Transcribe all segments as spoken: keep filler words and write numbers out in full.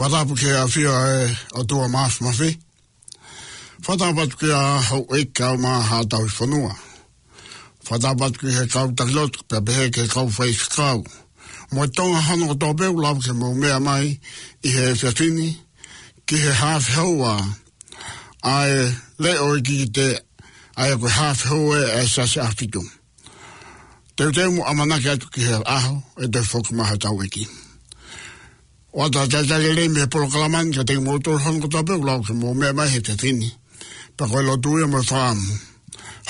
Fakatapu ki he ʻafio ʻa e ʻOtua Māfimafi. Fakatapu atu ki he houʻeiki kae ʻumaʻā haʻa tauhi fonua. Fakatapu atu ki he kau taki lotu, pea pehē ki he kau faifekau mo e Tonga hono kotoa pē ʻoku lava ke mou meʻa mai ʻi he efiafi ni ki he haafe houa ʻa e leʻo ʻo e kikite, ʻa ia ko e haafe houa ʻa e Siasi ʻAhofitu. Teuteu mo ʻamanaki atu ki he ʻaho ʻe toe foki mai ha tau ʻEiki. ʻOatu ʻa e talitali lelei mei he polokalama ni kiate kimoutolu hono kotoa pē ʻoku lava ke mou meʻa mai he efiafi ni. Pea ko e lotu ia mo e fakaʻamu,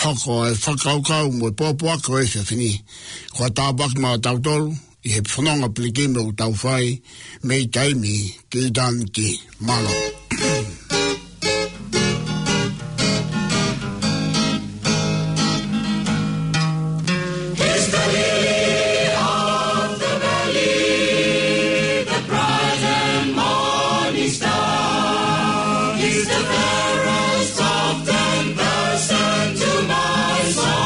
hoko ʻa e fakakaukau mo e pōpoaki ʻo e efiafi ni, ko ha tāpuaki maʻatautolu ʻi he fononga pilikimi ʻoku tau fai mei taimi ki ʻitāniti. Mālō. He's the lily of the valley, the bright and morning star. He's the fairest of ten thousand to my soul.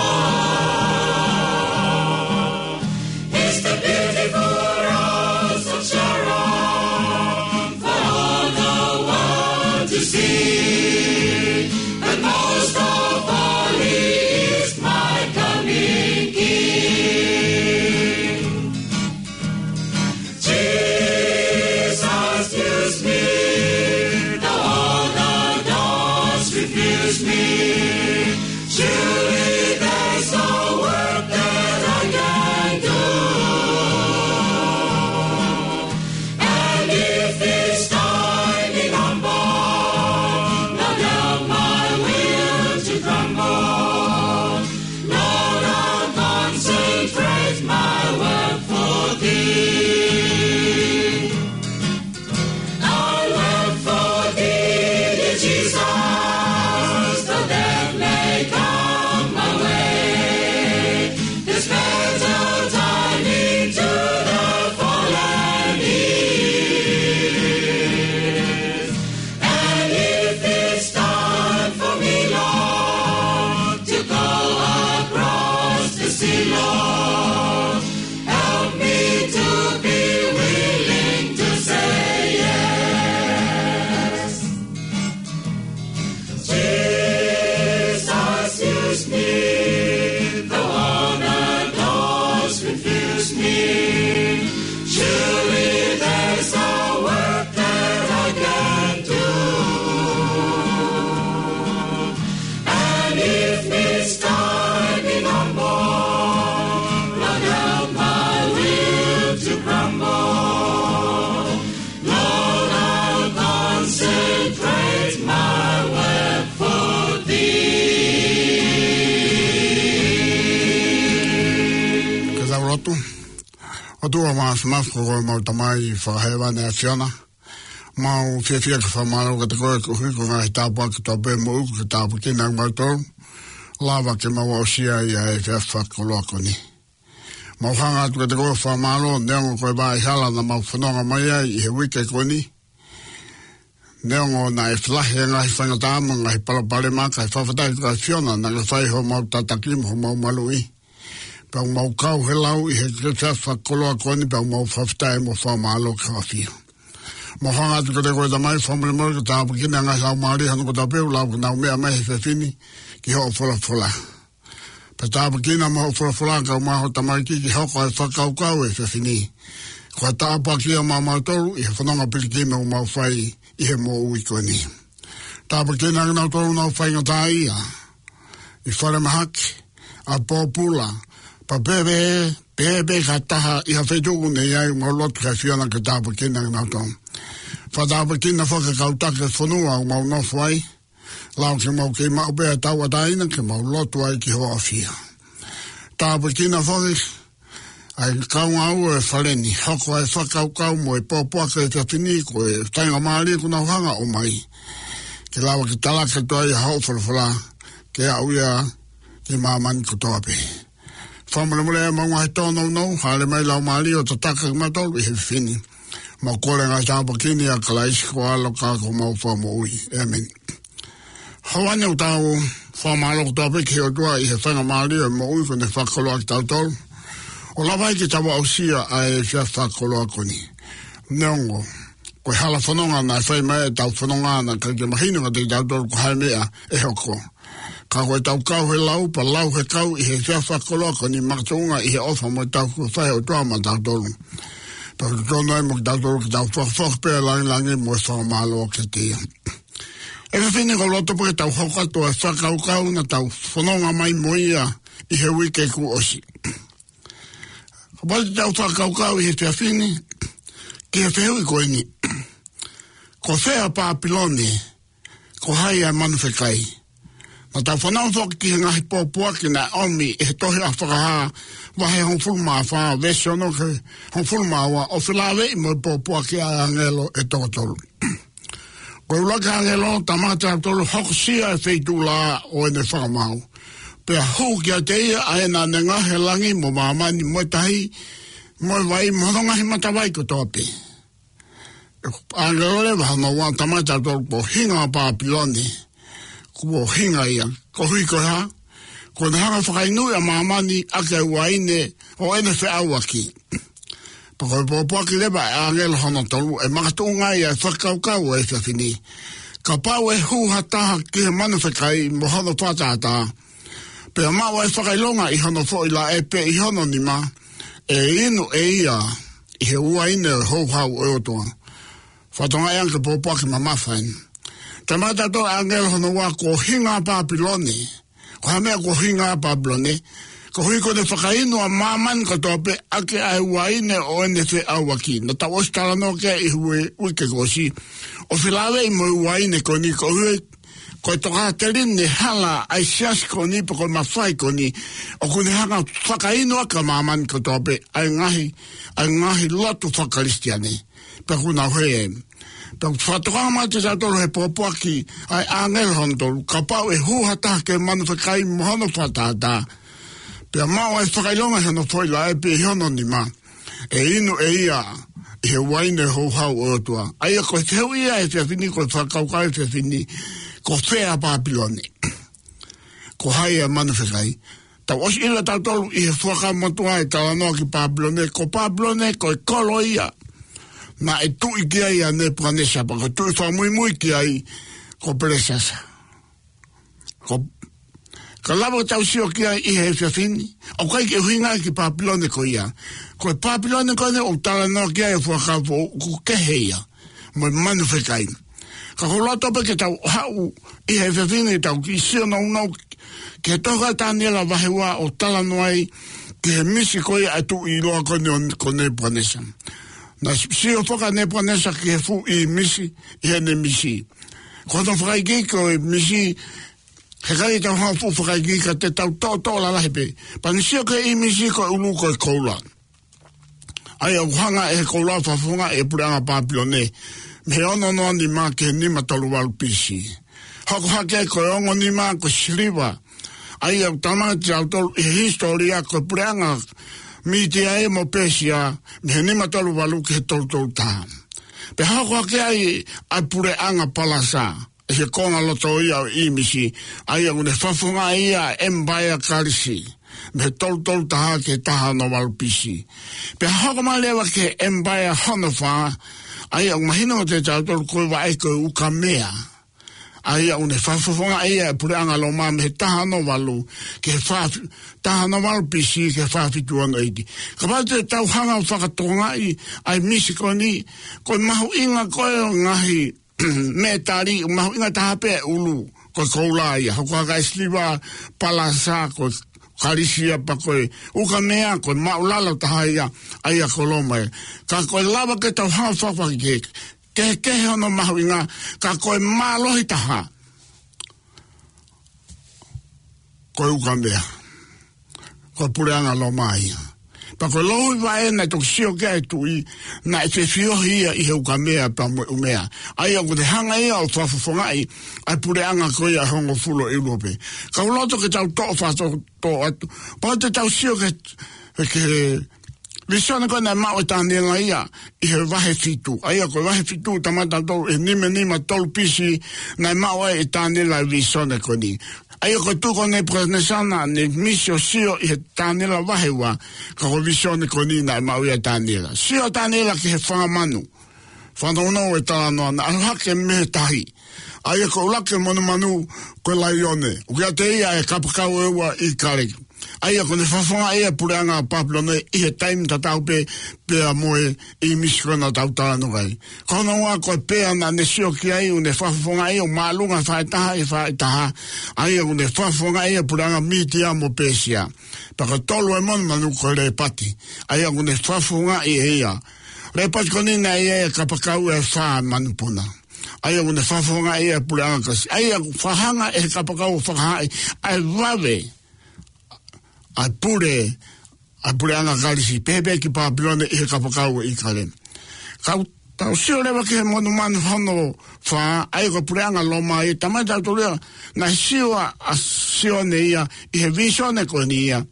He's the beautiful rose of Sharon for all the world to see. But most of all, he is my coming King. Jesus, use me, though all the doors refuse me. Surely there's a work that I can do. And if it's time in humble, not help my will to grumble. Lord, I'll concentrate my work for thee. I'll work for thee, dear Jesus, though death may come my way. This battle time into the fallen is. And if it's time for me, Lord, to go across the sea, Lord, help me to be willing to say yes. Jesus, use me, though all the doors refuse me. Surely there's a work that I can do. And if it's time in humble, Lord, help my will to grumble. Lord, I'll concentrate my work for thee. Ke tau lotu. ʻOtua Māfimafi, ko homau Tamai fakahēvani ʻa e ʻAfiona, mau fiefia ke fakamālō kiate koe koeʻuhi ko e ngaahi tāpuaki kotoa pē ʻoku mau ʻosi tāpuekina kimautolu, lava ke mau aʻusia ʻa e efiafi fakakoloa ko eni. Mau hanga atu kiate koe ʻo fakamālō, neongo ko e vaʻa hala naʻa mau fononga mai ai ʻi he uike ko eni. Neongo naʻe fielahi e ngaahi faingataʻa mo e ngaahi palopalema, kae fakafetaʻi ko e ʻAfiona naʻa ke fai homau tataki mo homau maluʻi. Pea ʻoku mau kau he lau ʻi he efiafi fakakoloa ko eni, pea ʻoku mau fakafetaʻi mo fakamālō ki he ʻAfiona. Mau hanga atu kiate koe Tamai, fakamolemole ke tāpuekina e ngaahi laumālie hono kotoa pē ʻoku lava ke nau meʻa mai he efiafi ni ki hoʻo folofola. Pea tāpuekina mo hoʻo folofola kae ʻumaʻā ho tamaiki ke hoko ʻa e fakakaukau ʻo e efiafi ni ko ha tāpuaki ia maʻamautolu ʻi he fononga pilikimi ʻoku mau fai ʻi he moʻui ko eni. Tāpuekina kinautolu ʻoku nau faingataʻaʻia ʻi falemahaki, ʻapōpula, pea pehē pē, pehē pē ki ha taha ʻi ha feituʻu ʻoku nau ʻi ai, mau lotu ki he ʻAfiona ke tāpuekina kinautolu. Fakatāpuekina foki e kau taki e fonua ʻoku mau nofo ai, lava ke mau kei maʻu pē ʻa e tauʻatāina ke mau lotu ai ki hoʻo ʻAfio. Tāpuekina foki ʻa e kau ngāue ʻo e fale ni, hoko ʻa e fakakaukau mo e pōpoaki ʻo e efiafi ni ko e faingamālie ʻoku nau hanga ʻo ʻomai, ke lava ke talaki atu ai ʻa hoʻo folofola ke aʻu ia ki māmani kotoa pē. Fakamolemole ʻa e mau ngaahi tōnounou, hāʻele mai Laumālie ʻo tataki kimautolu ʻi he efiafi ni. Mau kole e ngaahi tāpuaki ni ʻia Kalaisi ko ho ʻAlo ka ko homau Fakamoʻui. ʻĒmeni. Kae ʻoua naʻa tau fakamālō kotoa pē ki he ʻOtua ʻi he faingamālie ʻo e moʻui kuo ne fakakoloa kitautolu ʻo lava ai ke tau aʻusia ʻa e efiafi fakakoloa ko eni. Neongo ko e hala fononga naʻe fai mai, ʻetau fononga naʻe ʻikai ke mahino kiate kitautolu ko e hā e meʻa ʻe hoko. Ka ko ʻetau kau he lau, pea lau he kau ʻi he efiafi fakakoloa ko eni makatuʻunga ʻi he ʻofa mo e tauhi kuo fai ʻe he ʻOtua maʻatautolu. Pea ʻoku totonu ai mo kitautolu ke tau fakafoki pē ʻa e lāngilangi mo e fakamālō kiate ia. ʻE fefine, ʻoku ou loto pē ke tau hoko atu ʻa e fakakaukau naʻa tau fononga mai mo ia ʻi he uike kuo ʻosi. Kapau te tau fakakaukau ʻi he efiafi ni ki he fehuʻi ko eni: Ko fē ʻa Pāpilone? Ko hai ʻa e manu fekai? Naʻa tau fanongo foki ki he ngaahi pōpoaki naʻe ʻomi ʻe he tohi ʻa Fakahā vahe hongofulu mā fā, veesi ono ki he hongofulu mā ua, ʻo felāveʻi mo e pōpoaki ʻa e ʻāngelo ʻe toko tolu. Ko e ʻuluaki ʻāngelo, talamai kiate kitautolu, hokosia e feituʻu laʻā ʻo ʻene fakamaau. Pea hū kiate ia ʻa ē naʻa ne ngaohi e langi mo māmani mo e tahi mo e vai mo hono ngaahi matavai kotoa pē. ʻĀngelo leva hono ua, talamai kiate kitautolu, ko e hinga ʻo Pāpilone, ko e hinga ia. Koeʻuhi ko e hā? Kuo ne hanga ʻo fakainuʻi ʻa māmani ʻaki ʻa e uaine ʻo ʻene feʻauaki. Pea ko e pōpoaki leva ʻa e ʻāngelo hono tolu ʻe makatuʻunga ai ʻa e fakakaukau ʻo e efiafi ni. Kapau ʻe hū ha taha ki he manu fekai mo hono fakatātā, pea maʻu ʻa e fakaʻilonga ʻi hono foʻi laʻe pe ʻi hono nima, ʻe inu ʻe ia ʻi he uaine ʻo e houhau ʻo e ʻOtua. Fakatokangaʻi ange ki he pōpoaki mamafa eni. Talamai kiate kitautolu ʻe he ʻāngelo hono ua, ko e hinga ʻo Pāpilone. Ko e hā e meʻa ko e hinga ʻo Pāpilone? Koeʻuhi kuo ne fakainu ʻa māmani kotoa pē ʻaki ʻa e uaine ʻo ʻene feʻauaki. Naʻa tau ʻosi talanoa ki ai ʻi he uike kuo ʻosi, ʻo felāveʻi mo e uaine ko eni, koeʻuhi ko e tokāteline hala ʻa e siasi ko eni pe ko e mafai ko eni, ʻoku ne hanga ʻo fakainu ʻaki ʻa māmani kotoa pē ʻa e ngaahi, ʻa e ngaahi lotu faka-Kalisitiane. Pea ʻoku nau hē. Pea ʻoku fakatokanga mai kiate kitautolu ʻe he pōpoaki ʻa e ʻāngelo hono tolu, kapau ʻe hū ha taha ki he manu fekai mo hono fakatātā, pea maʻu ʻa e fakaʻilonga ʻi hono foʻi laʻe pe ʻi hono nima, ʻe inu ʻe ia ʻi he uaine ʻo e houhau ʻo e ʻOtua. ʻA ia ko e fehuʻi ia ʻo e efiafi ni, ko e fakakaukau ʻo e efiafi ni: Ko fē ʻa Pāpilone? Ko hai ʻa e manu fekai? Tau ʻosi ʻilo ʻe kitautolu ʻi he Fuakava Motuʻa ʻa e talanoa ki Pāpilone. Ko Pāpilone ko e kolo ia naʻe tuʻi ki ai ʻa Nepukanesa, pea ko e tuʻi fakamuimui ki ai ko Pelesiasa. Ko, ka lava ke tau sio ki ai ʻi he efiafi ni, ʻoku ʻikai ke ʻuhinga ki Pāpilone ko ia. Ko e Pāpilone ko eni ʻoku talanoa ki ai ʻa e Fuakava Foʻou ʻoku kehe ia mo e manu fekai. Ka ʻoku ou loto pē ke tau haʻu ʻi he efiafi ni, tau kiʻi sio nounou ki he tohi ʻa Taniela vahe ua ʻoku talanoa ai ki he misi ko ia ʻa e tuʻi ʻiloa ko eni ko Nepukanesa. Naʻe sio foki ʻa Nepukanesa ki he fuʻu ʻīmisi ʻi heʻene misi. Ko hono fakaikiiki ʻo e misi, heʻikai ke tau hanga ʻo fuʻu fakaikiiki ka te tau toʻotoʻo lalahi pē. Pea ne sio ki he ʻīmisi ko e ʻulu ko e koula. ʻA ia ʻoku hanga ʻe he koula ʻo fakafofongaʻi e puleʻanga Pāpilone mei he ono noa nima ki he nima tolu valu B C. Hoko hake ko e ongo nima ko e siliva. ʻA ia ʻoku talamai kiate kitautolu ʻi he hisitōlia ko e puleʻanga Mītia ia mo Pēsia mei he nima tolu valu ki he tolu tolu taha. Pea hoko hake ai ʻa e puleʻanga Palasa ʻi he konga loto ia ʻo e ʻīmisi, ʻa ia ʻoku ne fakafofongaʻi ia ʻe he ʻEmipaea Kalisi mei he tolu tolu taha ki he taha ono valu B C. Pea hoko mai leva ki he ʻEmipaea hono fā, ʻa ia ʻoku mahino kiate kitautolu ko e vaʻe ko e Ukamea, ʻa ia ʻoku ne fakafofongaʻi ia ʻe he puleʻanga Loma mei he taha ono valu ki he fā, taha ono valu B C ki he fā fitu ono A D. Kapau te tau hanga ʻo fakatokangaʻi ʻa e misi ko eni, ko e mahuʻinga ko ē ʻo e ngaahi mētali, mahuʻinga taha pē ʻa e ʻulu, ko e koula ia. Hoko hake ʻa e siliva, Palasa, ko e Kalisi ia, pea ko e Ukamea, ko e māʻulalo taha ia, ʻa ia ko Loma ia. Ka ko e lava ke tau hanga ʻo fakafakikehekehe hono mahuʻinga, ka ko e mālohi taha ko e Ukamea, ko e puleʻanga Loma ia. Pea ko e louhi vaʻe naʻe toki sio ki ai e tuʻi, naʻe fefiohi ia ʻi he Ukamea pea mo e ʻUmea. ʻA ia ʻoku ne hanga ia ʻo fakafofongaʻi ʻa e puleʻanga ko ia ʻe hongofulu ʻi ʻIulope. Ka ʻoku ou loto ke tau toʻo fakatoʻotoʻo atu. Pea te tau sio ki he, ki he Vīsone ko ē naʻe maʻu ʻe Taniela ia ʻi he vahe fitu. ʻA ia ko e vahe fitu, talamai ʻe tautolu ʻi he nima nima tolu B.C., naʻe maʻu ai ʻe Taniela e vīsone ko eni. ʻA ia ko e tuʻu ko ē ʻo Nepukanesa naʻa ne misi ʻo sio ʻi he Taniela vahe ua, ka ko e vīsone ko eni naʻe maʻu ia ʻe Taniela. Sio ʻa Taniela ki he fanga manu. Fanongo e talanoa, naʻe ʻalu hake mei he tahi. ʻA ia ko e ʻuluaki monumanu ko e laione. ʻOku ʻiate ia e kapakau ʻe ua ʻo ʻIkale. ʻA ia kuo ne fakafofongaʻi ia ʻe he puleʻanga Papilone ʻi he taimi tatau pē, pea mo e ʻīmisi ko ē naʻa tau talanoa ki ai. Ko hono ua ko e pea naʻa ne sio ki ai, ʻoku ne fakafofongaʻi ʻo māʻolunga faʻahitaha ʻi faʻahitaha. ʻA ia ʻoku ne fakafofongaʻi ia ʻe he puleʻanga Mītia mo Pēsia. Pea ko e tolu e monumanu ko e lēpati. ʻA ia ʻoku ne fakafofongaʻi ʻe ia. Lēpati ko eni naʻe ʻi ai e kapakau ʻe fā manupuna. ʻA ia ʻoku ne fakafofongaʻi ia ʻe he puleʻanga Kalisi. ʻA ia ʻoku fakahanga ʻe he kapakau ʻo fakahaaʻi ʻa e vave ʻa e pule, ʻa e puleʻanga Kalisi, pehē pē ki Papilone ʻi he kapakau ʻo ʻIkale. Ka tau sio leva ki he monumanu hono fā, ʻa ia ko e puleʻanga Loma ia, talamai ʻe tautolu ia, naʻe sio ʻa, ʻa Sione ia ʻi he vīsone ko eni ia.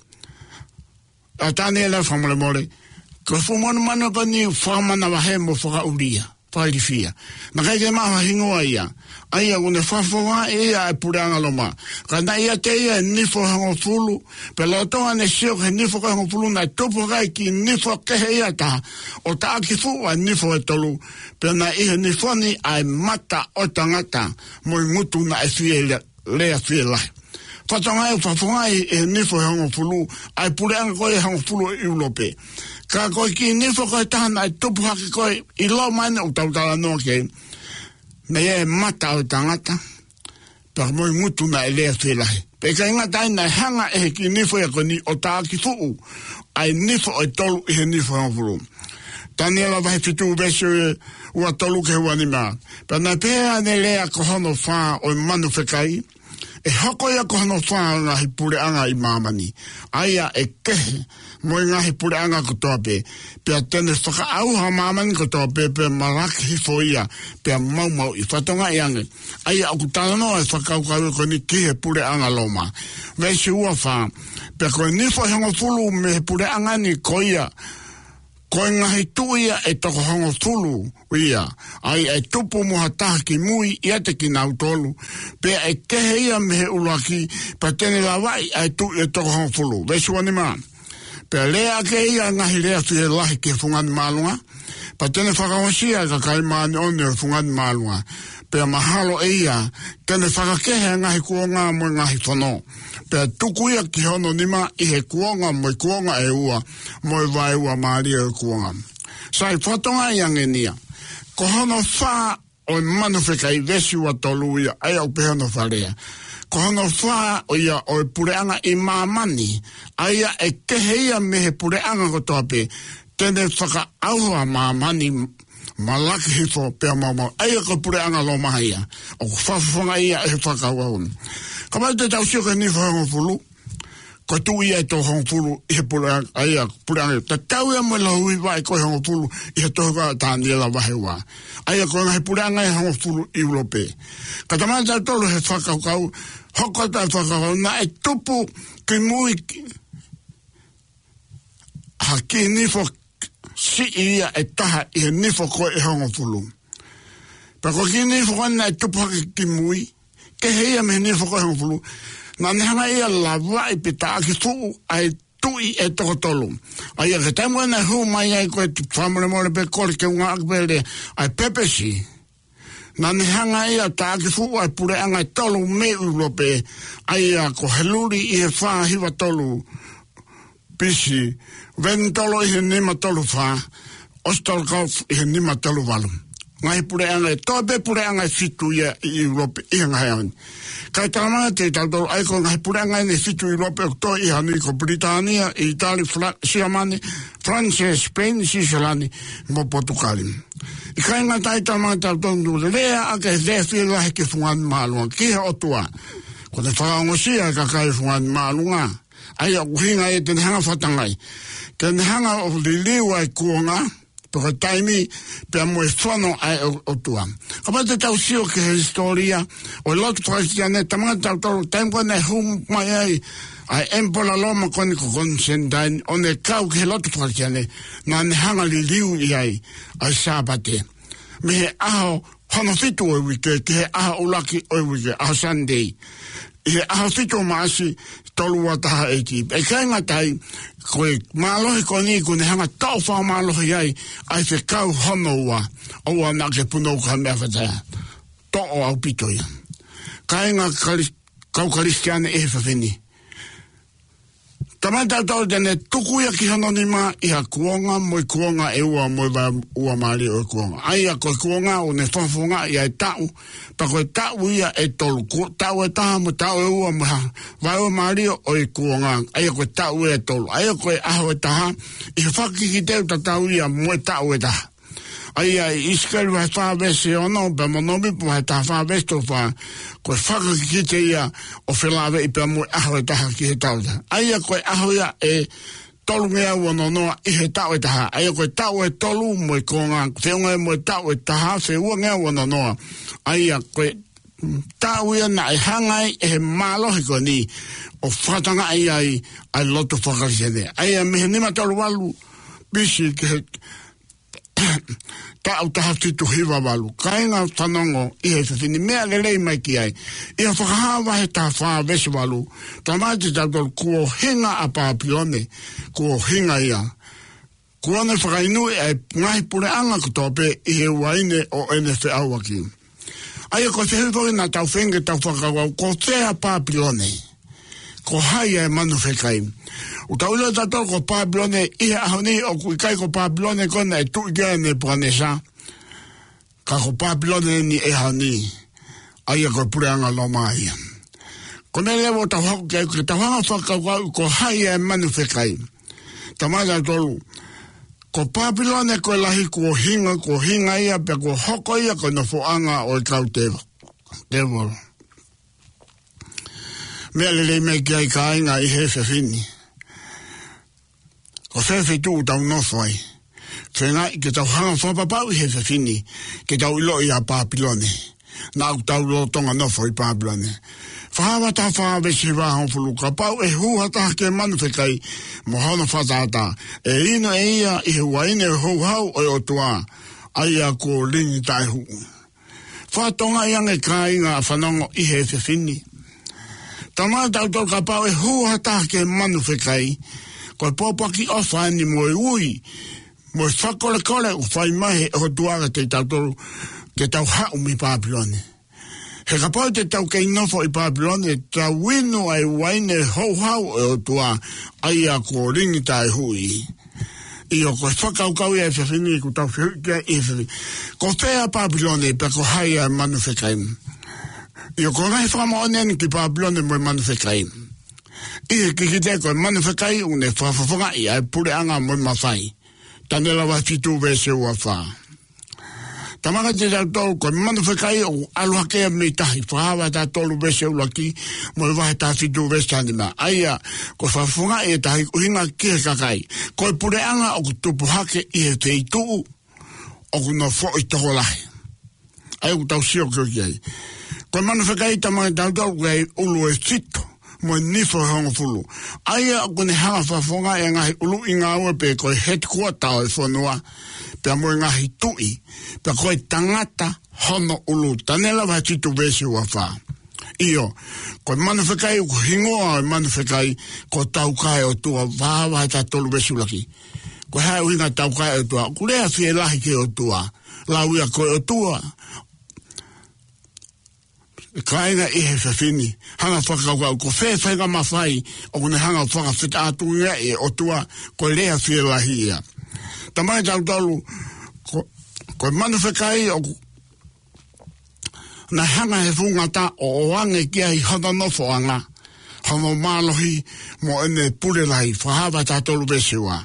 ʻA Taniela, fakamolemole. Ko e fuʻu monumanu ko eni fakamanavahē mo fakaʻulia, fakailifia. Naʻe ʻikai ke maʻu ha hingoa ia. ʻA ia ʻoku ne fakafofongaʻi ia ʻe he puleʻanga Loma. Ka naʻe ʻiate ia e nifo ʻe hongofulu. Pea lolotonga ʻene sio ki he nifo ko ē ʻe hongofulu, naʻe tupu hake e kiʻi nifo kehe ia ʻe taha, ʻo taʻaki fuʻu ʻa e nifo ʻe tolu. Pea naʻe ʻi he nifo ni ʻa e mata ʻo e tangata, mo e ngutu naʻe fie lea, lea fielahi. Fatongia ʻoku fakafofongaʻi ʻe he nifo ʻe hongofulu ʻa e puleʻanga ko ē ʻe hongofulu ʻo ʻIulope. Ka ko e kiʻi nifo ko ē ʻe taha naʻe tupu hake ko ē ʻi Loma ʻeni ʻoku tau talanoa ki ai, naʻe ʻi ai e mata ʻo e tangata, pea mo e ngutu naʻe lea fielahi. Pea ʻikai ngata ai, naʻe hanga ʻe he kiʻi nifo ia ko eni ʻo taʻaki fuʻu ʻa e nifo ʻe tolu ʻi he nifo ʻe hongofulu. Taniela vahe fitu veesi ua tolu ki he ua nima. Pea naʻe pehē ʻene lea ko hono fā ʻo e manu fekai, ʻe hoko ia ko hono fā ʻo e ngaahi puleʻanga ʻi māmani, ʻa ia ʻe kehe mo e ngaahi puleʻanga kotoa pē. Pea te ne fakaʻauha ʻa māmani kotoa pē, pea malaki hifo ia, pea maumauʻi. Fatongia ange. ʻA ia ʻoku talanoa e fakakaukau ko eni ki he puleʻanga Loma. Veesi ua fā. Pea ko e nifo ʻe hongofulu mei he puleʻanga ni ko ia, ko e ngaahi tuʻi ia ʻe toko hongofulu ia, ʻa ia ʻe tupu mo ha taha kimui ʻiate kinautolu, pea ʻe kehe ia mei he ʻuluaki, pea te ne lavaʻi ʻa e tuʻi ʻe toko hongofulu. Veesi ua nima. Pea lea ʻaki ʻe ia ʻa e ngaahi lea fielahi ki he fungani māʻolunga, pea te ne fakaongosia ʻa e kakai māʻoniʻoni ʻo e fungani māʻolunga. Pea mahalo ʻe ia te ne fakakehe ʻa e ngaahi kuonga mo e ngaahi fono. Pea tuku ia ki hono nima ʻi he kuonga mo e kuonga ʻe ua, mo e vaeuamālie ʻo e kuonga. Sai, fatongia ange eni ia. Ko hono fā ʻo e manu fekai, veesi ua tolu ia, ʻa ia ʻoku pehē hono fakalea. Ko hono fā ʻo ia ʻo e puleʻanga ʻi māmani, ʻa ia ʻe kehe ia mei he puleʻanga kotoa pē, te ne fakaʻauha ʻa māmani, malaki hifo pea maumau. ʻA ia ko e puleʻanga Loma ia. ʻOku fakafofongaʻi ia ʻe he fakakaukau ni. Kapau te tau sio ki he nifo ʻe hongofulu, ko e tuʻi ia ʻe toko hongofulu ʻi he puleʻanga, ʻa ia puleʻanga. Tatau ia mo e lau hiva ʻe ko e hongofulu ʻi he tohi ko ē ʻa Taniela vahe ua. ʻA ia ko e ngaahi puleʻanga ʻe hongofulu ʻi ʻIulope. Ka talamai ʻe tautolu he fakakaukau, hoko atu e fakakaukau, naʻe tupu kimui ha kiʻi nifo siʻi ia ʻe taha ʻi he nifo ko ē ʻe hongofulu. Pea ko e kiʻi nifo ko ē naʻe tupu hake kimui, kehe ia mei he nifo ko ē ʻe hongofulu, naʻa ne hanga ia ʻo lavaʻi pe taʻaki fuʻu ʻa e tuʻi ʻe toko tolu. ʻA ia ko e taimi ko ē naʻe hū mai ai ko e, fakamolemole pē, kole ke u ngāueʻaki pē e lea, ʻa e pepesi. Naʻa ne hanga ia ʻo taʻaki fuʻu ʻa e puleʻanga ʻe tolu mei ʻIulope, ʻa ia ko Heluli ʻi he fā hiva tolu B.C., Venitolo ʻi he nima tolu fā, Ostrogoth ʻi he nima tolu valu. Ngaahi puleʻanga, toe pē puleʻanga ʻe fitu ia ʻi ʻIulope ʻi he ngaahi ʻaho ni. Kae talamai ʻe tautolu ʻa e ko e ngaahi puleʻanga ʻeni ʻe fitu ʻi ʻIulope ʻoku toe ʻi ai ha niʻihi ko Pilitānia, ʻItali, Fla-, Siamane, Falanse, Sipeini, Switzerland, mo Potukali. ʻIkai ngata ai, talamai ʻe tautolu ʻoku lea ʻaki e lea fielahi ki he fungani māʻolunga, ki he ʻOtua. Kuo ne fakaongosia e kakai fungani māʻolunga. ʻA ia ʻoku ʻuhinga ia te ne hanga ʻo fatongia. Te ne hanga ʻo liliu ʻa e kuonga, pe ko e taimi, pea mo e fono ʻa e ʻOtua. Kapau te tau sio ki he hisitōlia ʻo e lotu fakakalisitiane, talamai kiate kitautolu, taimi ko ē naʻe hū mai ai ʻa e ʻEmipola Loma ko eni ko Konisitantine, ʻo ne kau ki he lotu fakakalisitiane, naʻa ne hanga ʻo liliu ʻi ai ʻa e Sāpate mei he ʻaho hono fitu ʻo e uike ki he ʻaho ʻuluaki ʻo e uike, ʻaho Sunday, ʻi he ʻaho fitu ʻo Maʻasi, tolu ua taha ʻEiki. Pea ʻikai ngata ai, ko e mālohi ko eni kuo ne hanga ʻo toʻo fakamālohi ai ʻa e fekau hono ua, ʻoua naʻa ke punou ki ha meʻa faʻa taha. Toʻo ʻaupito ia. Kāinga Kalis-, kau Kalisitiane ʻi he efiafi ni, talamai kiate kitautolu te ne tuku ia ki hono nima ʻi ha kuonga mo e kuonga ʻe ua mo e vaeua mālie ʻo e kuonga. ʻA ia ko e kuonga ʻoku ne fakafofongaʻi ai e taʻu, pea ko e taʻu ia ʻe tolu. Ko e taʻu ʻe taha mo e taʻu ʻe ua mo e vaeua mālie ʻo e kuonga. ʻA ia ko e taʻu ʻe tolu. ʻA ia ko e ʻaho ʻe taha, ʻi he fakakikite ʻoku tatau ia mo e taʻu ʻe taha. ʻA ia ʻi ʻIsikeli vahe fā veesi ono, pea mo Nōmipa vahe taha fā veesi tolu fā, ko e fakakikite ia ʻoku felāveʻi pea mo e ʻaho ʻe taha ki he taʻu ʻe taha. ʻA ia ko e ʻaho ia ʻe tolungeau ono noa ʻi he taʻu ʻe taha. ʻA ia ko e taʻu ʻe tolu mo e kuonga, feʻunga mo e taʻu ʻe taha, feʻunga ono noa. ʻA ia ko e taʻu ia naʻe hanga ai ʻe he mālohi ko eni ʻo fakatokangaʻi ai ʻa e lotu fakakalisitiane. ʻA ia mei he nima tolu valu B C ki he taʻu taha fitu hiva valu. Kāinga fanongo ʻi he efiafi ni, meʻa lelei mai ki ai. ʻI he Fakahā vahe taha fā veesi valu, talamai kiate kitautolu kuo hinga ʻa Pāpilone, kuo hinga ia. Kuo ne fakainua ʻa e ngaahi puleʻanga kotoa pē ʻi he uaine ʻo ʻene feʻauaki. ʻA ia ko e fehuʻi foki naʻa tau feinga ke tau fakakaukau, ko fē ʻa Pāpilone? Ko hai ʻa e manu fekai? ʻOku tau ʻilo ʻe tautolu ko Pāpilone ʻi he ʻaho ni, ʻoku ʻikai ko Pāpilone ko ē naʻe tuʻi ki ai ʻa Nepukanesa. Ka ko Pāpilone eni ʻi he ʻaho ni, ʻa ia ko e puleʻanga Loma ia. Ko e meʻa leva ʻoku tau hoko ki ai, ke tau hanga ʻo fakakaukau ko hai ʻa e manu fekai. Talamai kiate kitautolu, ko Pāpilone ko e lahi kuo hinga, kuo hinga ia pea kuo hoko ia ko e nofoʻanga ʻo e kau tevo-, tēvolo. Meʻa lelei mai ki ai kāinga ʻi he efiafi ni. Ko fē feituʻu ʻoku tau nofo ai? Feinga ke tau hanga ʻo fakapapauʻi he efiafi ni, ke tau ʻiloʻi ʻa Pāpilone. Naʻa ʻoku tau lolotonga nofo ʻi Pāpilone. Fakahā vahe taha fā veesi hiva hongofulu, kapau ʻe hū ha taha ki he manu fekai mo hono fakatātā, ʻe inu ʻe ia ʻi he uaine houhau ʻo e ʻOtua, ʻa ia kuo lingi taʻehuʻi. Fakatokangaʻi ange kāinga fanongo ʻi he efiafi ni. Talamai kiate kitautolu kapau ʻe hū ha taha ki he manu fekai, ko e pōpoaki ʻofa eni mo e ui, mo e fakakolekole ʻoku fai mai he ʻOtua kiate kitautolu ke tau haʻu mei Pāpilone. He kapau te tau kei nofo ʻi Pāpilone, tau inu ʻa e uaine houhau ʻo e ʻOtua, ʻa ia kuo lingi taʻehuʻi. ʻIo, ko e fakakaukau ia ʻi he efiafi ni ʻoku tau fehuʻi ki ai ʻi he efiafi ni. Ko fē ʻa Pāpilone pea ko hai ʻa e manu fekai? ʻIo, ko e ngaahi fakamoʻoni eni ki Pāpilone mo e manu fekai. ʻI he kikite ko e manu fekai ʻoku ne fakafofongaʻi ʻa e puleʻanga mo e mafai. Taniela vahe fitu veesi ua fā. Talamai kiate kitautolu ko e manu fekai ʻoku ʻalu hake ia mei tahi, Fakahā vahe taha tolu veesi ʻuluaki, mo e vahe taha fitu veesi taha nima. ʻA ia, ko e fakafofongaʻi e tahi ʻuhinga ki he kakai. Ko e puleʻanga ʻoku tupu hake ʻi he feituʻu ʻoku nofoʻi tokolahi. ʻA ia ʻoku tau sio ki ai. Ko e manu fekai talamai kiate kitautolu ko e ʻulu ʻe fitu mo e nifo ʻe hongofulu. ʻA ia ʻoku ne hanga ʻo fakafofongaʻi e ngaahi ʻuluʻi ngāue pē ko e headquarter ʻo e fonua, pea mo e ngaahi tuʻi, pea ko e tangata hono ʻulu. Taniela vahe fitu veesi ua fā. ʻIo, ko e manu fekai ʻoku hingoa ʻo e manu fekai ko Taukaeʻotua, Fakahā vahe taha tolu veesi ʻuluaki. Ko e hā e ʻuhinga Taukaeʻotua? ʻOku lea fielahi ki he ʻOtua. Lau ia ko e ʻOtua. Kāinga ʻi he efiafi ni, hanga ʻo fakakaukau ko fē faʻahinga mafai ʻoku ne hanga ʻo fakafetaʻatuʻungaʻi e ʻOtua, ko e lea fielahi ia. Talamai kiate kitautolu, ko, ko e manu fekai ʻoku ne hanga ʻe he fuʻu ngata ʻo ʻoange ki ai hono nofoʻanga, hono mālohi, mo ʻene pule lahi, Fakahā vahe taha tolu veesi ua.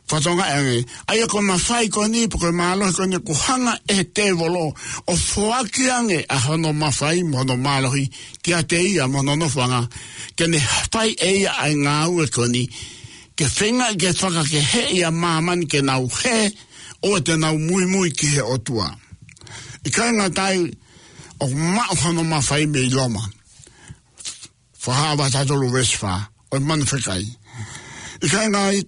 Fakatokangaʻi ange, ʻa ia ko e mafai ko eni, pe ko e mālohi ko eni, ʻoku hanga ʻe he tēvolo ʻo foaki ange ʻa hono mafai mo hono mālohi kiate ia mo hono nofoʻanga, ke ne fai ʻe ia ʻa e ngāue ko eni, ke feingaʻi ke fakakeheʻi ʻa māmani ke nau hē, ʻoua te nau muimui ki he ʻOtua. ʻIkai ngata ai, ʻoku maʻu hono mafai mei Loma. Fakahā vahe taha tolu veesi fā, ʻo e manu fekai. ʻIkai ngai,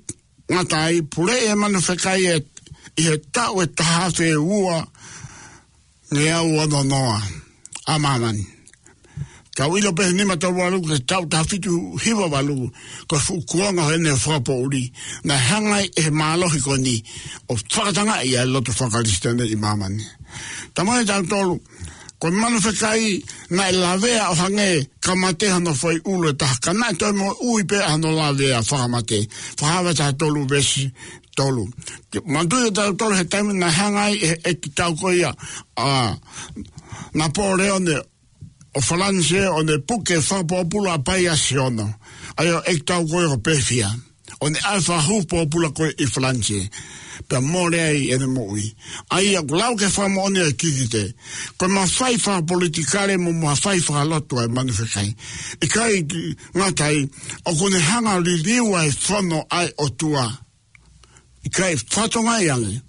ngata ai, puleʻi e manu fekai ʻi he taʻu ʻe taha afe ua ngeau ono noa ʻa māmani. Tau ʻilo pē he nima tolu valu ki he taʻu taha fitu hiva valu, ko e fuʻu kuonga ʻo ʻene fakapoʻuli, naʻe hanga ai ʻe he mālohi ko eni ʻo fakatangaʻi ʻa e lotu faka-Kalisitiane ʻi māmani. Talamai ʻe tautolu, ko e manu fekai naʻe lavea ʻo hangē ka mate hono foʻi ʻulu ʻe taha, ka naʻe toe moʻui pē hono lavea fakamate. Fakahā vahe taha tolu veesi tolu. Manatuʻi ʻe tautolu he taimi naʻe hanga ai ʻe he ʻeiki tau ko ia ʻa Napoleone ʻo Falanisē ʻo ne puke fakapōpula ʻa Paiasi Ono, ʻa ia ʻo e ʻeiki tau ko ia ko Pefia, ʻo ne ʻai fakahū pōpula ko ia ʻi Falanisē, pea mole ai ʻene moʻui. ʻA ia ʻoku lau ki he fakamoʻoni ʻa e kikite, ko e mafai fakapolitikale mo mafai fakalotu ʻa e manu fekai. ʻIkai ngata ai, ʻoku ne hanga ʻo liliu ʻa e fono ʻa e ʻOtua. ʻIkai, fatongia ange.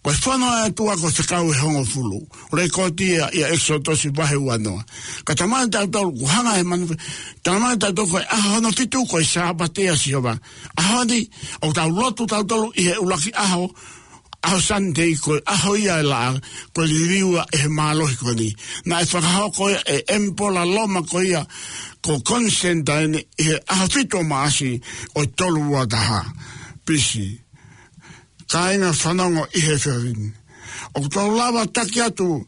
Ko e fono ʻa e ʻOtua ko e fekau ʻe hongofulu. Lekooti ia ʻia ʻEkisoto vahe ua noa. Ka talamai ʻe tautolu, ʻoku hanga ʻe he manu fe-, talamai ʻe tautolu ko e ʻaho hono fitu ko e Sāpate ʻa Sihova. ʻAho ni, ʻoku tau lotu tautolu ʻi he ʻuluaki ʻaho, ʻaho Sunday, ko e ʻaho ia ʻe laʻā, ko e liliu ia ʻe he mālohi ko eni. Naʻe fakahoko ia ʻe he ʻemipola Loma ko ia ko Konisitantine ʻi he ʻaho fitu ʻo Maʻasi ʻo e tolu ua taha B C. Kāinga fanongo ʻi he efiafi ni, ʻoku tau lava taki atu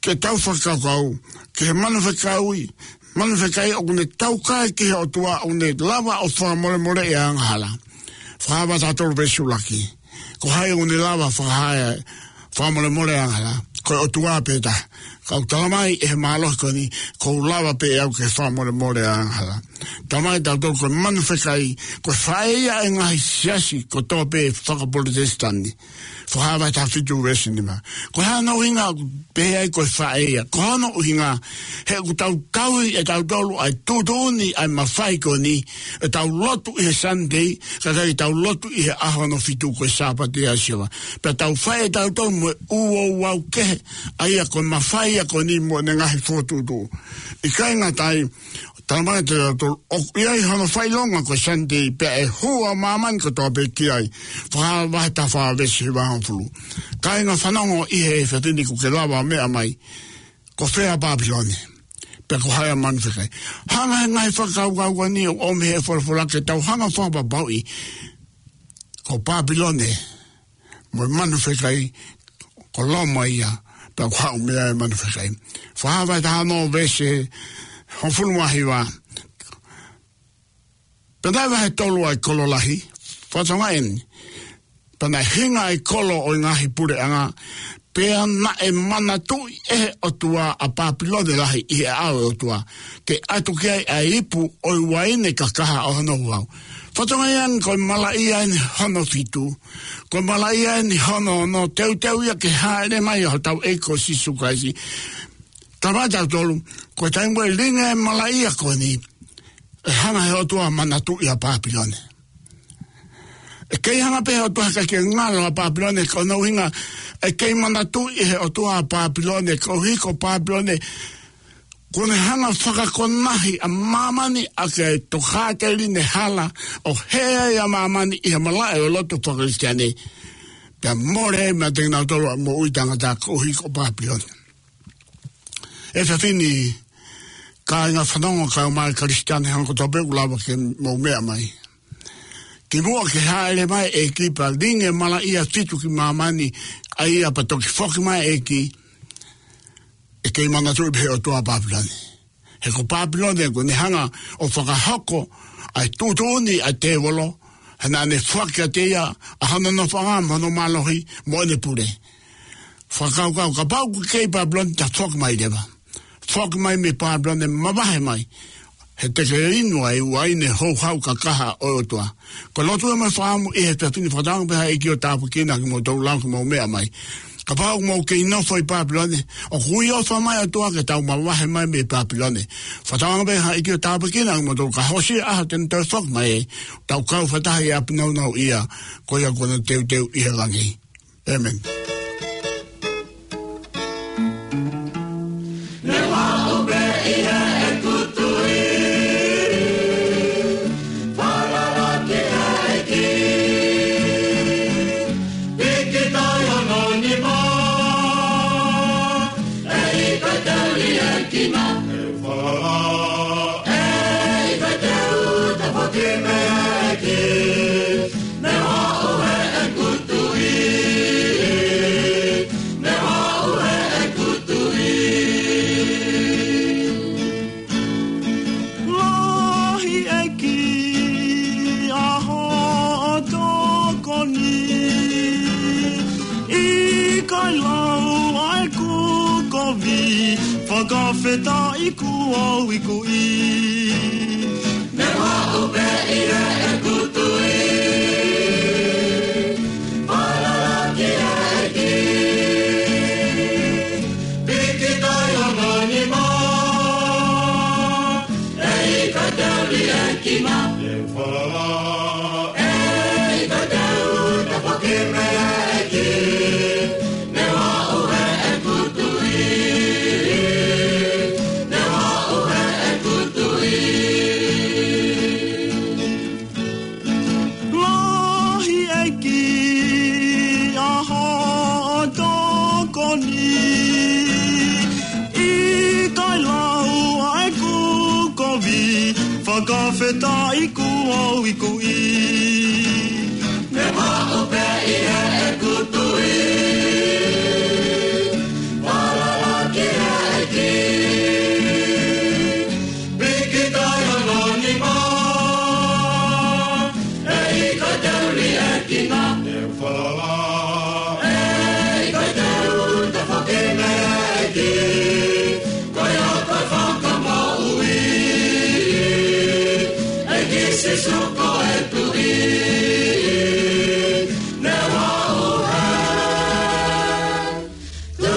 ke tau fakakaukau ki he manu fekai, manu fekai ʻoku ne taukae ki he ʻOtua, ʻoku ne lava ʻo fakamolemoleʻi ʻa e angahala. Fakahā vahe taha tolu veesi ʻuluaki. Ko hai ʻoku ne lava fakahā e fakamolemole ʻa e angahala? Ko e ʻOtua pē taha. Ka ʻoku talamai ʻe he mālohi ko eni, ʻoku lava pē ʻe au ke fakamolemole ʻa e angahala. Talamai ʻe tautolu ko e manu fekai, ko e faʻē ia ʻo e ngaahi siasi kotoa pē faka-Pulotesitani. Fakahā vahe taha fitu veesi nima. Ko e hā hono ʻuhinga ʻoku pehē ai ko e faʻē ia? Ko hono ʻuhinga, he ʻoku tau tauhi ʻe tautolu ʻa e tuʻutuʻuni ʻa e mafai ko eni, ʻetau lotu ʻi he Sunday, kae ʻikai ke tau lotu ʻi he ʻaho hono fitu ko e Sāpate ʻa Sihova. Pea tau fai ʻe tautolu mo e ʻū ouau kehe, ʻa ia ko e mafai ia ko eni mo ʻene ngaahi fokotuʻutuʻu. ʻIkai ngata ai, talamai ʻe tautolu, ʻoku ʻi ai hono fakaʻilonga ko e Sunday, pea ʻe hū ʻa māmani kotoa pē ki ai. Fakahā vahe taha fā veesi hiva hongofulu. Kāinga fanongo ʻi he efiafi ni, ʻoku ke lava ʻo meʻa mai, ko fē ʻa Pāpilone? Pea ko hai ʻa e manu fekai? Hanga ʻe he ngaahi fakakaukau ko eni ʻo ʻomi ʻe he folofola ke tau hanga ʻo fakapapauʻi ko Pāpilone mo e manu fekai, ko Loma ia, pea ʻoku haʻu mei ai e manu fekai. Fakahā vahe taha ono veesi hongofulu mā hiva. Pea naʻe vahe tolu ʻa e kolo lahi, fatongia eni. Pea naʻe hinga ʻa e kolo ʻo e ngaahi puleʻanga, pea naʻe manatuʻi ʻe he ʻOtua ʻa Pāpilone lahi ʻi he ʻao ʻo e ʻOtua, ke ʻatu ki ai ʻa e ipu ʻo e uaine kakaha ʻo hono ouau. Fatongia ange, ko e malaʻia eni hono fitu, ko e malaʻia eni hono ono, teuteu ia ke hāʻele mai ʻa hotau ʻEiki ko Sīsū Kalaisi. Talamai ʻe tautolu, ko e taimi ʻe lingi ai e malaʻia ko eni, ʻe hanga ʻe he ʻOtua ʻo manatuʻi ʻa Pāpilone. ʻE kei hanga pē ʻe he ʻOtua ʻo ʻikai ke ngalo ʻa Pāpilone, ko hono ʻuhinga, ʻe kei manatuʻi ʻe he ʻOtua ʻa Pāpilone, koeʻuhi ko Pāpilone, ʻoku ne hanga ʻo fakakonahi ʻa māmani ʻaki ʻa e tokāteline hala, ʻo hē ai ʻa māmani ʻi he malaʻe ʻo e lotu faka-Kalisitiane. Pea mole ai meiate kinautolu ʻa e moʻui taʻengata koeʻuhi ko Pāpilone. Efiafi ni, kāinga fanongo, kaeʻumaʻā e Kalisitiane ʻi he ʻaho kotoa pē, ʻoku lava ke mou meʻa mai. Kimuʻa ke hāʻele mai e ʻEiki pea lingi e malaʻia fitu ki māmani, ʻa ia pea toki foki mai e ʻEiki, ʻe kei manatuʻi pē ʻe he ʻOtua ʻa Pāpilone. He ko Pāpilone ʻoku ne hanga ʻo fakahoko ʻa e tuʻutuʻuni ʻa e tēvolo, he naʻa ne foaki kiate ia ʻa hono nofoʻanga mo hono mālohi mo ʻene pule. Fakakaukau, kapau ʻoku kei Pāpilone, ta foki mai leva. Foki mai mei Pāpilone, mavahe mai. He te ke inu ʻa e uaine houhau kakaha ʻo e ʻOtua. Ko e lotu ia mo e fakaʻamu ʻi he efiafi ni, fakatauange pē ha ʻEiki ʻo tāpuekina kimoutolu, lava ke mou meʻa mai. Kapau ʻoku mou kei nofo ʻi Pāpilone, ʻoku ui ʻofa mai e ʻOtua ke tau mavahe mai mei Pāpilone. Fakatauange pē ha ʻEiki ʻo tāpuekina kimoutolu, ka hoko ʻa e ʻaho te ne toe foki mai, tau kau fakataha ʻi he ʻapi nāunauʻia, ko ia kuo ne teuteu ʻi he langi. ʻĒmeni. Ne u haʻu pē ʻi heʻeku tui, falala ki he ʻEiki. Piki tai hono nima, ʻe ʻikai te u liʻekina. Ne u falala, ʻe ʻikai te u tafoki mei he ʻEiki. Ne u haʻu heʻeku tui, ne u haʻu heʻeku tui. Lahi ʻEiki ʻa hoʻo tokoni, ʻikai lau ʻa ʻeku kovi, fakafetaʻi kuo u ikuʻi. Ne u haʻu pē ʻi heʻeku tui, falala ki he ʻEiki. Piki tai hono nima, ʻe ʻikai te u liʻekina. Ne u falala, ʻe ʻikai te u tafoki mei he ʻEiki. Ne u haʻu heʻeku tui, ne u haʻu heʻeku tui. Lahi ʻEiki ʻa hoʻo tokoni, ʻikai lau ʻa ʻeku kovi, fakafetaʻi kuo u ikuʻi. Ne u haʻu pē ʻi heʻeku tui, falala ki he ʻEiki. Piki tai hono nima, ʻe ʻikai te u liʻekina. Ne u falala, ʻe ʻikai te u tafoki mei he ʻEiki. Ko ia ko e Fakamoʻui, ʻEiki Sīsū ko e Tuʻi. Ne u haʻu heʻeku tui.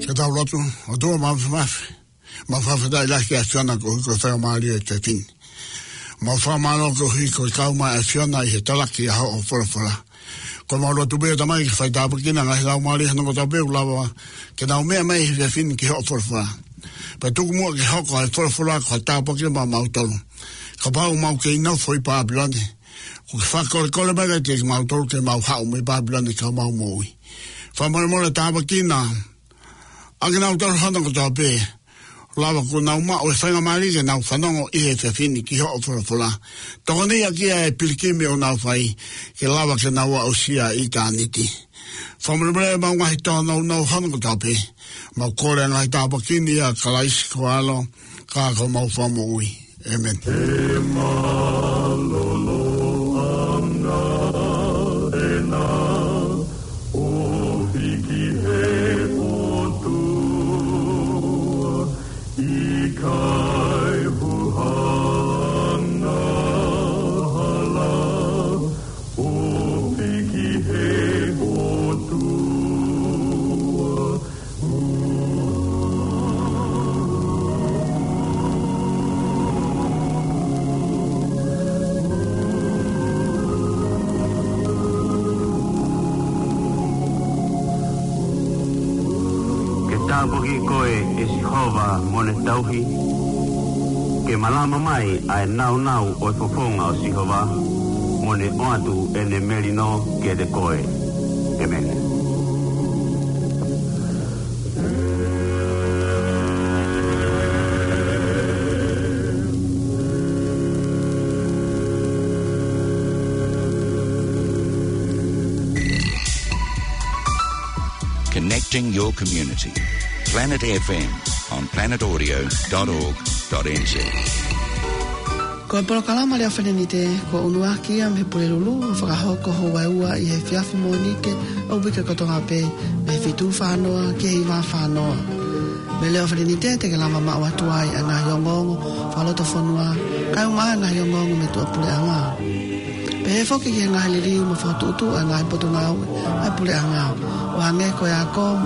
Ke tau lotu. ʻOtua Māfimafi, mau fakafetaʻi lahi ki he ʻAfiona koeʻuhi ko e faingamālie ʻo e efiafi ni. Mau fakamālō koeʻuhi ko e kau mai ʻa e ʻAfiona ʻi he talaki ʻa hoʻo folofola. Ko ʻemau lotu pē ʻe Tamai ke fai tāpuekina e ngaahi laumālie hono kotoa pē ʻoku lava ke nau meʻa mai he efiafi ni ki hoʻo folofola. Pea tuku muʻa ke hoko ʻa e folofola ko ha tāpuaki maʻamautolu. Kapau ʻoku mau kei nofo ʻi Pāpilone, ʻoku ke fakakolekole mai kiate kimautolu ke mau haʻu mei Pāpilone ke mau moʻui. Fakamolemole tāpuekina ʻa kinautolu hono kotoa pē ʻoku lava kuo nau maʻu e faingamālie ke nau fanongo ʻi he efiafi ni ki hoʻo folofola. Tokoniʻi ʻaki ʻa e pilikimi ʻoku nau fai ke lava ke nau aʻusia ʻitāniti. Fakamolemole ʻemau ngaahi tōnounou hono kotoa pē. Mau kole ʻa e ngaahi tāpuaki ni ʻia Kalaisi ko ho ʻAlo, ka ko homau Fakamoʻui. ʻĒmeni. He mālōlōʻanga ʻena ʻofi ki he ʻOtua, ʻikai huhanga hala, ʻofi ki he ʻOtua. Ke tāpuakiʻi koe, ʻe Sihova, mo ʻene tauhi, ke malama mai ʻa e nāunau ʻo e fofonga ʻo Sihova, mo ne ʻoatu ʻene melino kiate koe. ʻĒmeni. Connecting your community. Planet F M on planet audio dot org dot N Z. Ko e polokalama Lea Felenite, kuo ʻunuaki ia mei he Pulelulu, ʻo fakahoko houa ʻe ua ʻi he efiafi Mōnite ʻo e uike kotoa pē, mei he fitu fā noa ki he hiva fā noa. Mei he Lea Felenite te ke lava maʻu atu ai ʻa e ngaahi ongoongo fakalotofonua, kae ʻumaʻā ʻa e ngaahi ongoongo mei tuʻapuleʻanga. Pehē foki ki he ngaahi liliu mo e fokotuʻutuʻu ʻa e ngaahi potungāue ʻa e puleʻanga, ʻo hangē ko e ako mo e